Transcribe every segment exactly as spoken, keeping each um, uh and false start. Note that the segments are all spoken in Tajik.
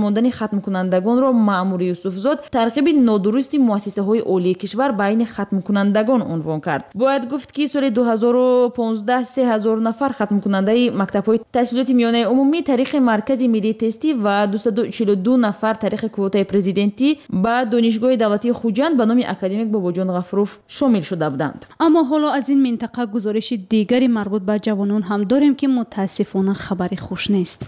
Мондани хатмкунандагонро Маъмури Юсуфзод тарғиби нодурусти муассисаҳои олии кишвар байни хатмкунандагон унвон кард. Бояд гуфт, ки соли ду ҳазору понздаҳ се ҳазор нафар хатмкунандаи мактабҳои таҳсилоти миёнаи умумӣ тариқи Маркази миллии тестӣ ва дусаду чилу ду нафар тариқи квотаи президентӣ ба Донишгоҳи давлатии Хуҷанд ба номи академик Бобоҷон Ғафуров шомил шуда буданд. Аммо ҳоло аз ин минтақа гузориши дигари марбут ба ҷавонон ҳам дорем, ки мутаассифона хабари хуш нест.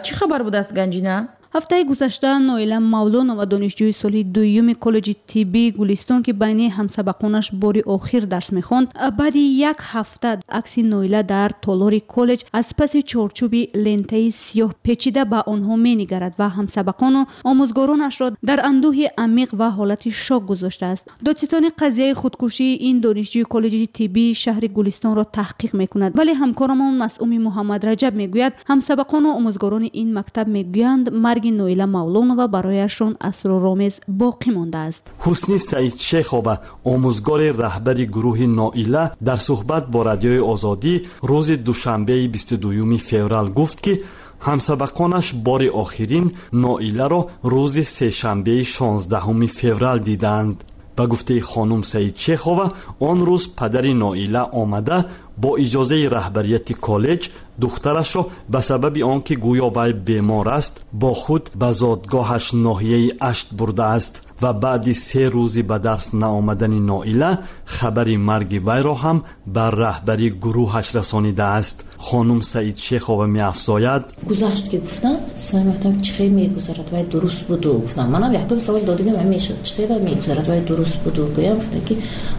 Чӣ хабар будааст, Ганҷина? Ҳафтаи гузашта Ноила Мавлонова, донишҷӯи соли дуюми коллеҷи тиббии Гулистон, ки байни ҳамсабақонаш бори охир дарс мехонд, баъди як ҳафта акси Ноила дар толори коллеҷ аз паси чорчӯби лентаи сиёҳ печида ба онҳо менигарад ва ҳамсабақону омӯзгоронашро дар андӯҳи амиқ ва ҳолати шок гузоштааст. Додситони қазияи худкушии ин донишҷӯи коллеҷи тиббии шаҳри Гулистонро таҳқиқ мекунад, вале ҳамкорамон Масъуми Муҳаммадраҷаб мегӯяд, ҳамсабақону омӯзгорони ин мактаб мегӯянд, марги Ноила Мавлонова барояшон асроромез боқӣ мондааст. Ҳусни Саидшехова, омӯзгори раҳбари гурӯҳи Ноила, дар суҳбат бо Радиои Озодӣ рӯзи душанбеи бисту дуюми феврал гуфт, ки ҳамсабақонаш бори охирин Ноиларо рӯзи сешанбеи шонздаҳуми феврал дидаанд. Ба гуфтаи хонум Саидшехова, он рӯз падари Ноила омада, бо иҷозаи раҳбарияти коллеҷ духтарашро ба сабаби он ки гӯё вай бемор аст, бо худ ба зодгоҳаш ноҳияи Ашт бурдааст ва баъди се рӯзи ба дарс наомадани Ноила хабари марги вайро ҳам ба раҳбари гурӯҳаш расонидааст. Хонум Саидшехова меафзояд: Гузашт, ки гуфтам, соим гуфтам, чӣ хел мегузарад, вай дуруст буду, гуфтам. Манам якум савол додигам мешуд, чӣ хел вай мегузарад, вай дуруст буду. Гӯям, гуфтам, ки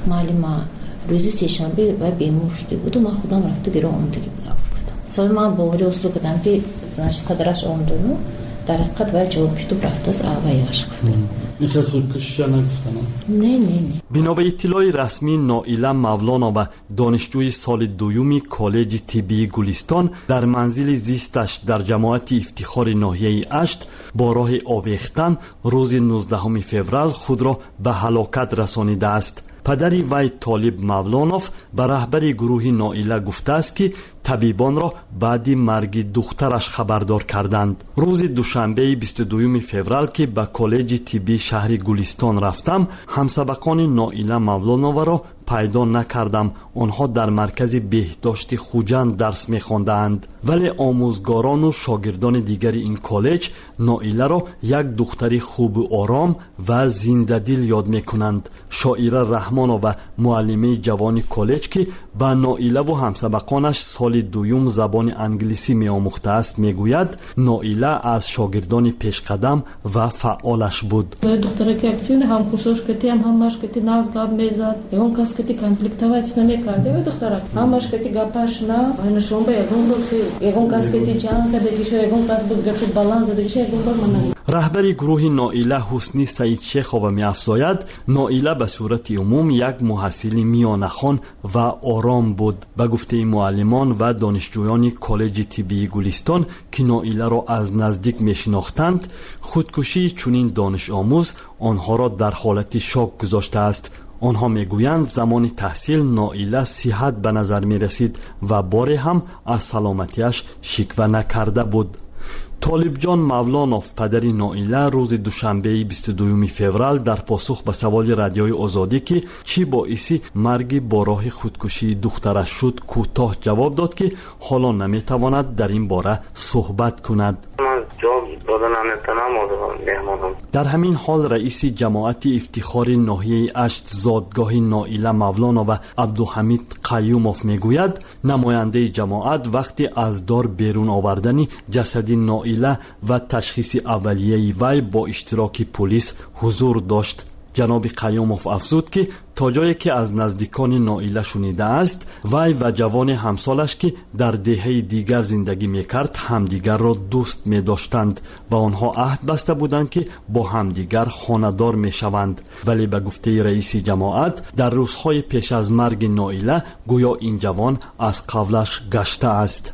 муаллима, рӯзи сешанбе вай бемор шуда буду, ман худам рафта гиро омадагӣ будам, гуфтам. Сои ман боварӣ ҳосил кардам, ки значит, падараш омадану дар ҳақиқат вай ҷавоб китоб рафтааст, вайаш гуфта. Ин худкушиша нагуфтана? не не не Бино ба иттилои расмӣ, Ноила Мавлонова, донишҷӯи соли дуюми коллеҷи тиббии Гулистон, дар манзили зисташ дар ҷамоати Ифтихори ноҳияи Ашт бо роҳи овехтан рӯзи нуздаҳуми феврал худро ба ҳалокат расонидааст. Падари вай, Толиб Мавлонов, ба раҳбари гурӯҳи Ноила гуфтааст, ки табибонро баъди марги духтараш хабардор карданд. Рӯзи душанбеи бисту дуюми феврал, ки ба коллеҷи тиббии шаҳри Гулистон рафтам, ҳамсабақони Ноила Мавлоноваро пайдо накардам. Онҳо дар маркази беҳдошти Хуҷанд дарс мехондаанд, вале омӯзгорону шогирдони дигари ин коллеҷ Ноиларо як духтари хубу ором ва зиндадил ёд мекунанд. Шоира Раҳмонова, муаллимаи ҷавони коллеҷ, ки ба Ноилаву ҳамсабақонаш соли дуюм забони англисӣ меомӯхтааст, мегӯяд, Ноила аз шогирдони пешқадам ва фаъолаш буд. Духтараки активный, ҳамкурсош катиам, ҳамаш кати нағз гап мезад, ягон кас кати конфликтовать намекард. Ягон духтарак ҳамаш кати гапаш на нашонба, ягон бор ягон кас кати ҷанг кардагиша, ягон кас буд гапи баланд задагиша, ягон бор ман. Раҳбари гурӯҳи Ноила Ҳусни Саидшехова меафзояд, Ноила ба сурати умум як муҳассили миёнахон ва ором буд. Ба гуфтаи муаллимон ва донишҷӯёни коллеҷи тиббии Гулистон, ки Ноиларо аз наздик мешинохтанд, худкушии чунин донишомӯз онҳоро дар ҳолати шок гузоштааст. Онҳо мегӯянд, замони таҳсил Ноила сиҳат ба назар мерасид ва боре ҳам аз саломатиаш шиква накарда буд. Толибҷон Мавлонов, падари Ноила, рӯзи душанбеи бисту дуюми феврал дар посух ба саволи Радиои Озодӣ, ки чӣ боиси марги бо роҳи худкушии духтараш шуд, кӯтоҳ ҷавоб дод, ки ҳоло наметавонад дар ин бора суҳбат кунад. Дар ҳамин ҳол, раиси ҷамоати Ифтихори ноҳияи Ашт, зодгоҳи Ноила Мавлонова, Абдуҳамид Қаюмов мегӯяд, намояндаи ҷамоат вақти аз дор берун овардани ҷасади Ноила ва ташхиси аввалияи вай бо иштироки пулис ҳузур дошт. Ҷаноби Қаюмов афзуд, ки то ҷое ки аз наздикони Ноила шунидааст, вай ва ҷавони ҳамсолаш, ки дар деҳаи дигар зиндагӣ мекард, ҳамдигарро дӯст медоштанд ва онҳо аҳд баста буданд, ки бо ҳамдигар хонадор мешаванд. Вале ба гуфтаи раиси ҷамоат, дар рӯзҳои пеш аз марги Ноила гӯё ин ҷавон аз қавлаш гаштааст.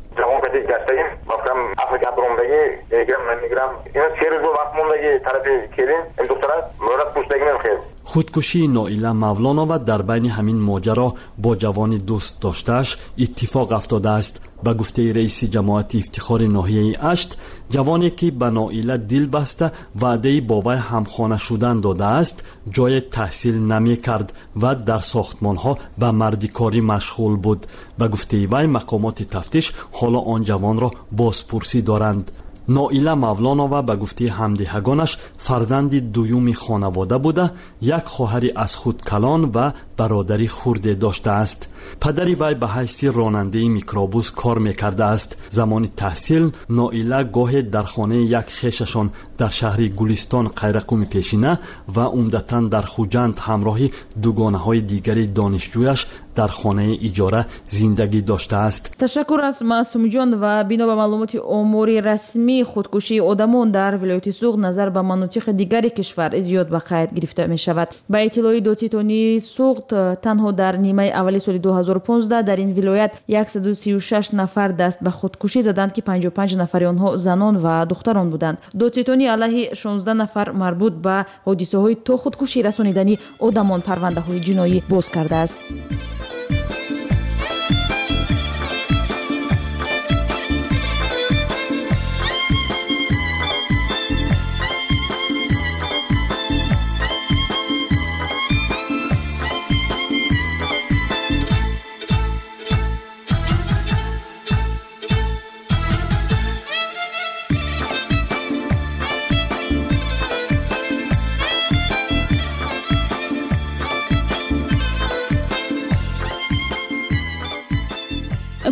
Мегирам, намегирам, се рӯз вақт мондаги тарафи келин духтарак мӯрат пӯшдагимем хел. Худкушии Ноила Мавлонова дар байни ҳамин моҷаро бо ҷавони дӯст доштааш иттифоқ афтодааст. Ба гуфтаи раиси ҷамоати Ифтихори ноҳияи Ашт, ҷавоне ки ба Ноила дил баста ваъдаи бо вай ҳамхона шудан додааст, ҷое таҳсил намекард ва дар сохтмонҳо ба мардикорӣ машғул буд. Ба гуфтаи вай, мақомоти тафтиш ҳоло он ҷавонро бозпурсӣ доранд. Ноила Мавлонова ба гуфтаи ҳамдиҳагонаш фарзанди дуюми хонавода буда, як хоҳари аз худ калон ва бародари хурде доштааст. Падари вай ба ҳайси ронандаи микробус кор мекардааст. Замони таҳсил Ноила гоҳе дар хонаи як хешашон дар шаҳри Гулистон Қайрақуми пешина ва умдатан дар Хуҷанд ҳамроҳи дугонаҳои дигари донишҷӯяш дар хонаи иҷора зиндагӣ доштааст. Ташаккур аз Маъсумҷон. Ва бино ба маълумоти омори расмӣ, худкушии одамон дар вилояти Суғд назар ба манотиқи дигари кишвар зиёд ба қайд гирифта мешавад. Ба иттилои додситонии Суғд, танҳо дар нимаи аввали соли ду ҳазору понздаҳ дар ин вилоят яксаду сию шаш нафар даст ба худкушӣ заданд, ки панҷоҳу панҷ нафари онҳо занон ва духтарон буданд. Додситонӣ алайҳи шонздаҳ нафар марбут ба ҳодисаҳои то худкушӣ расонидани одамон парвандаҳои ҷиноӣ боз кардааст.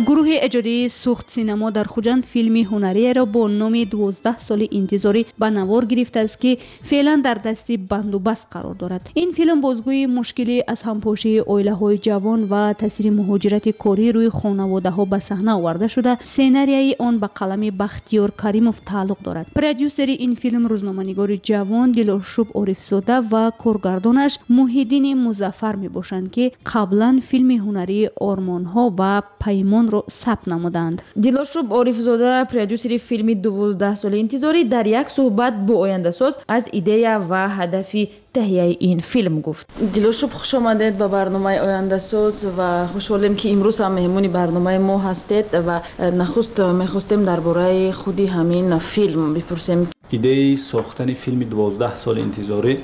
Гурӯҳи эҷодии Суғд синамо дар Хуҷанд филми ҳунариеро бо номи дувоздаҳ соли интизорӣ ба навор гирифтааст, ки феълан дар дасти бандубаст қарор дорад. Ин филм бозгӯи мушкили аз ҳампошии оилаҳои ҷавон ва таъсири муҳоҷирати корӣ рӯи хонаводаҳо ба саҳна оварда шуда, сценарияи он ба қалами Бахтиёр Каримов тааллуқ дорад. Продюсери ин филм рӯзноманигори ҷавон Дилошуб Орифзода ва коргардонаш Муҳиддини Музаффар мебошанд, ки қаблан филми ҳунарии Ормонҳо ва Паймонро сабт намуданд. Дилошуб Орифзода, продюсери филми дувоздаҳ соли интизорӣ, дар як суҳбат бо ояндасоз аз идея ва ҳадафи таҳияи ин филм гуфт. Дилошуб, хуш омадед ба барномаи ояндасоз ва хушҳолем, ки имрӯз ҳам меҳмони барномаи мо ҳастед ва нахуст мехостем дар бораи худи ҳамин филм бипурсем. Идеяи сохтани филми дувоздаҳ соли интизорӣ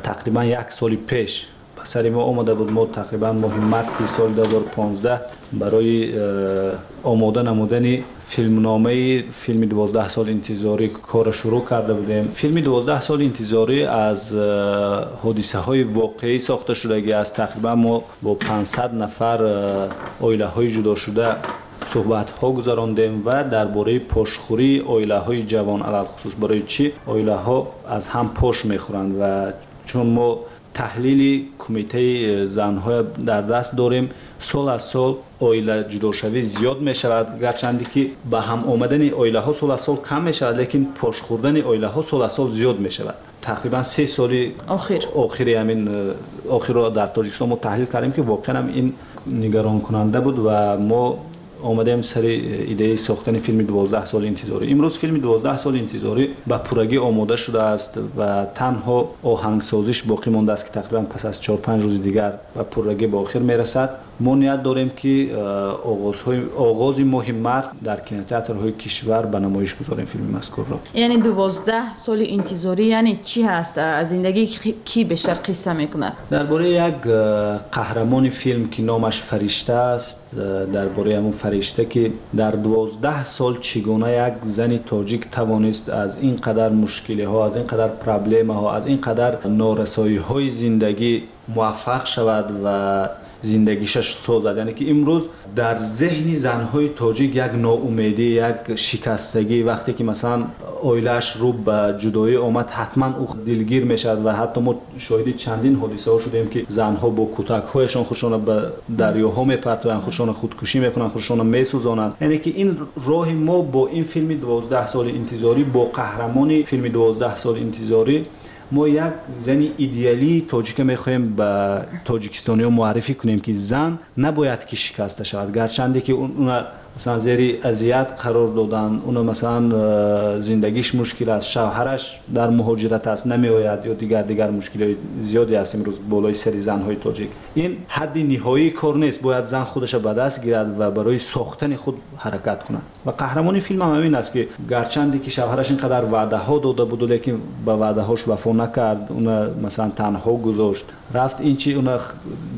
тақрибан як соли пеш ба сари мо омада буд. Мо тақрибан моҳи марти соли ду ҳазору понздаҳ барои омода намудани филмномаи филми дувоздаҳ соли интизорӣ корро шурӯъ карда будем. Филми дувоздаҳ соли интизорӣ аз ҳодисаҳои воқеӣ сохта шудагӣ аст. Тақрибан мо бо панҷсад нафар оилаҳои ҷудошуда суҳбатҳо гузарондем ва дар бораи пошхӯрии оилаҳои ҷавон, алалхусус барои чӣ оилаҳо аз ҳам пош мехӯранд, ва чун мо таҳлили кумитаи занҳо дар даст дорем, сол аз сол оила ҷудошавӣ зиёд мешавад. Гарчанде ки ба ҳам омадани оилаҳо сол аз сол кам мешавад, лекин пош хӯрдани оилаҳо сол аз сол зиёд мешавад. Тақрибан се соли охир охири ҳамин охирро дар Тоҷикистон мо таҳлил кардем, ки воқеан ҳам ин нигаронкунанда буд ва мо омадем сари идеяи сохтани филми дувоздаҳ соли интизорӣ. Имрӯз филми дувоздаҳ соли интизорӣ ба пуррагӣ омода шудааст ва танҳо оҳангсозиш боқӣ мондааст, ки тақрибан пас аз чор-панҷ рӯзи дигар ба пуррагӣ ба охир мерасад. Мо ният дорем, ки оғози моҳи март дар кинотеатрҳои кишвар ба намоиш гузорем филми мазкурро. Яъне дувоздаҳ соли интизорӣ яъне чӣ ҳаст? Аз зиндагии кӣ бештар қисса мекунад? Дар бораи як қаҳрамони филм, ки номаш Фаришта аст, дар бораи ҳамон Фаришта, ки дар дувоздаҳ сол чӣ гуна як зани тоҷик тавонист аз ин қадар мушкилиҳо, аз ин қадар проблемаҳо, аз ин қадар норасоиҳои зиндагӣ муваффақ шавад ва зиндагишаш созад. Яъне ки имрӯз дар зеҳни занҳои тоҷик як ноумедӣ, як шикастагӣ, вақте ки масалан оилааш рӯ ба ҷудоӣ омад, ҳатман ӯ дилгир мешавад ва ҳатто мо шоҳиди чандин ҳодисаҳо шудем, ки занҳо бо кӯтакҳояшон худшонро ба дарёҳо мепартоянд, худшонро худкушӣ мекунанд, худшонро месӯзонанд. Яъне ки ин роҳи мо бо ин филми дувоздаҳ соли интизорӣ, бо қаҳрамони филми дувоздаҳ соли интизорӣ, мо як зани идеалии тоҷика мехоҳем ба тоҷикистониҳо муаррифӣ кунем, ки зан набояд ки шикаста шавад, гарчанде ки уна масалан зери азият қарор додан, уна масалан зиндагиш мушкил аст, шавҳараш дар муҳоҷират аст, намеояд ё дигар дигар мушкилиҳои зиёде аст имрӯз болои сари занҳои тоҷик. Ин ҳадди ниҳоии кор нест, бояд зан худаша ба даст гирад ва барои сохтани худ ҳаракат кунад. Ва қаҳрамони филм ҳам ҳамин аст, ки гарчанде ки шавҳараш ин қадар ваъдаҳо дода буд, лекин ба ваъдаҳош вафо накард, уна масалан танҳо гузошт, рафт, ин чи уна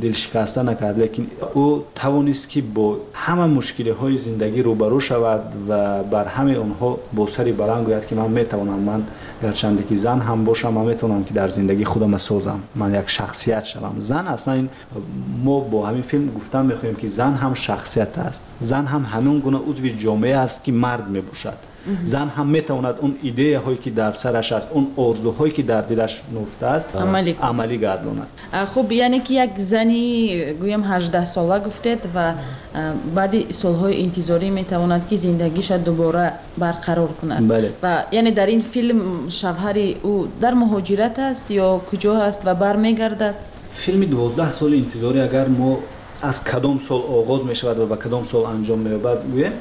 дилшикаста накард, лекин ӯ тавонист ки бо ҳама мушкилиҳои зиндагӣ рӯбарӯ шавад ва бар ҳамаи онҳо бо сари баланд гӯяд, ки ман метавонам, ман гарчанде ки зан ҳам бошам, ман метавонам ки дар зиндагӣ худама созам, ман як шахсият шавам. Зан аслан ин мо бо ҳамин филм гуфтан мехоҳем, ки зан ҳам шахсият аст, зан ҳам ҳамон гуна узви ҷомеа аст, ки мард мебошад. Зан ҳам метавонад он идеяҳое ки дар сараш аст, он орзуҳое ки дар дилаш нуфта аст, амалӣ гардонад. Хуб, яъне ки як зани гӯям ҳаждаҳсола гуфтед ва баъди солҳои интизорӣ метавонад ки зиндагиша дубора барқарор кунад. Ва яъне дар ин филм шавҳари ӯ дар муҳоҷират аст ё куҷо аст ва бармегардад? Филми дувоздаҳ соли интизорӣ агар мо аз кадом сол оғоз мешавад ва ба кадом сол анҷом меёбад гӯем,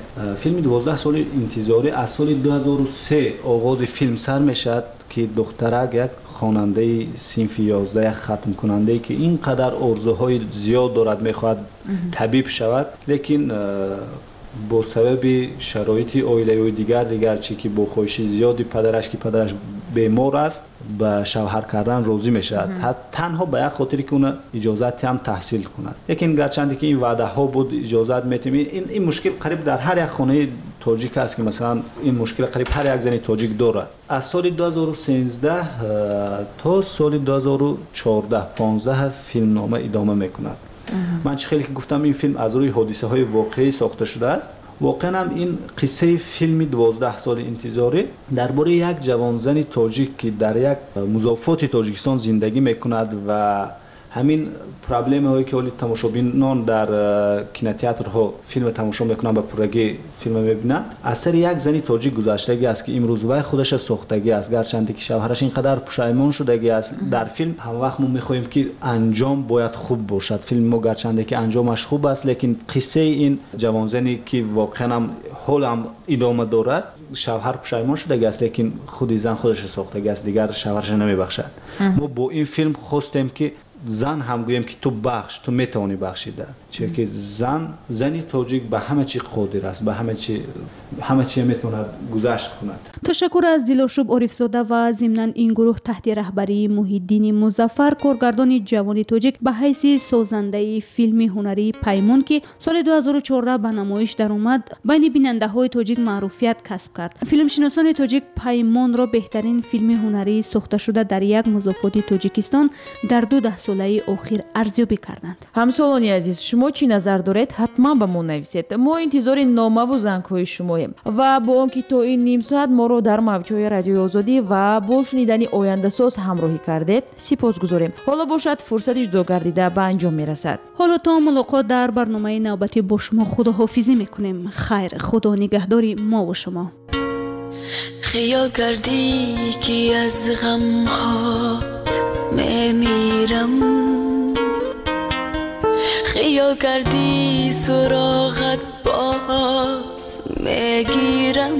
филми дувоздаҳ соли интизорӣ аз соли ду ҳазору се оғози филм сар мешавад, ки духтарак як хонандаи синфи ёздаҳ, як хатмкунандае ки ин қадар орзуҳои зиёд дорад, мехоҳад табиб шавад, лекин бо сабаби шароити оилавию дигар дигар чи ки бо хоҳиши зиёди падараш, ки падараш бемор аст, ба шавҳар кардан розӣ мешавад, танҳо ба як хотире ки уна иҷозат ҳам таҳсил кунад. Лекин гарчанде ки ин ваъдаҳо буд, иҷозат метем, ин ин мушкил қариб дар ҳар як хонаи тоҷик аст, ки масалан ин мушкил қариб ҳар як зани тоҷик дорад. Аз соли ду ҳазору сенздаҳ то соли ду ҳазору чордаҳ понздаҳ филмнома идома мекунад. Ман чӣ хеле ки гуфтам, ин филм аз рӯи ҳодисаҳои воқеӣ сохта шудааст. Воқеан ҳам ин қиссаи филми дувоздаҳ соли интизорӣ дар бораи як ҷавонзани тоҷик, ки дар як музофоти Тоҷикистон зиндагӣ мекунад ва ҳамин проблемаҳое ки ҳоли тамошобинон дар кинотеатрҳо филм тамошо мекунанд, ба пуррагӣ филм мебинанд, аз сари як зани тоҷик гузаштагӣ аст, ки имрӯз вай худаша сохтагӣ аст, гарчанде ки шавҳараш ин қадар пушаймон шудагӣ аст. Дар филм ҳамвақт мо мехоҳем ки анҷом бояд хуб бошад. Филми мо гарчанде ки анҷомаш хуб аст, лекин қиссаи ин ҷавонзане ки воқеан ҳам ҳолам идома дорад, шавҳар пушаймон шудагӣ аст, лекин худи зан худаша сохтагӣ аст, дигар шавҳараша намебахшад. Мо бо ин филм хостем ки зан ҳам гӯем ки ту бахш, ту метавонӣ бахшида, чунки зан, зани тоҷик ба ҳама чи қодир аст, ба ҳама чи, ҳама чи метавонад гузашт кунад. Ташаккур аз Дилошуб Орифзода ва зимнан ин гурӯҳ таҳти раҳбарии Муҳиддини Музаффар, коргардони ҷавони тоҷик ба ҳайси созандаи филми ҳунарии Паймон, ки соли ду ҳазору чордаҳ ба намоиш даромад, байни бинандаҳои тоҷик маъруфият касб кард. Филмшиносони тоҷик Паймонро беҳтарин филми ҳунарии сохташуда дар як музофоти Тоҷикистон дар ду даҳсолаи охир арзёбӣ карданд. Ҳамсолони азиз, шумо чӣ назар доред? Ҳатман ба мо нависед. Мо интизори номаву зангҳои шумоем ва бо он ки то ин ним соат моро дар мавҷҳои Радиои Озодӣ ва бо шунидани ояндасоз ҳамроҳӣ кардед, сипос гузорем. Ҳоло бошад фурсати ҷудо гардида ба анҷом мерасад. Ҳоло то мулоқот дар барномаи навбатӣ бо шумо худоҳофизӣ мекунем. Хайр, худо нигаҳдори мо ва шумо. Хиёл кардӣ ки аз ғамҳот мемирам, хиёл кардӣ суроғат боз мегирам,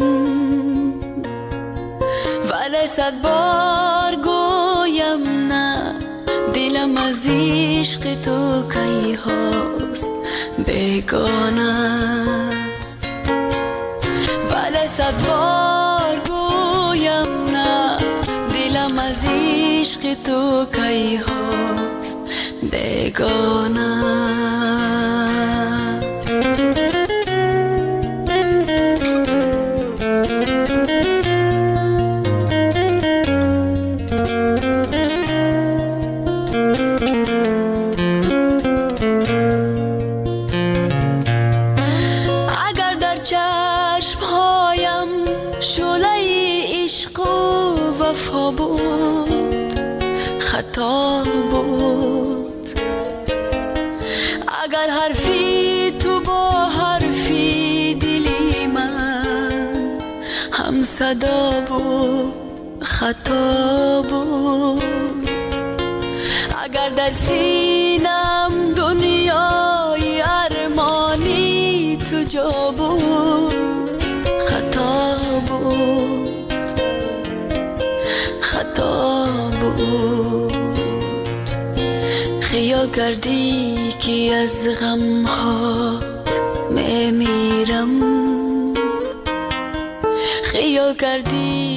вале сад бор гӯям на, дилам аз ишқи ту кайҳост бегона, вале сад бор гӯям на, дилам аз ишқи ту кайҳост бегона. Агар дар чашмҳоям шӯлаи ишқу вафо буд, хато буд. Агар ҳарфи ту бо ҳарфи дили ман ҳамсадо буд, хато буд. Агар дар синам дунёи армонӣ ту ҷо буд, буд. Хиёл кардӣ, ки аз ғамҳот мемирам, хиёл кардӣ.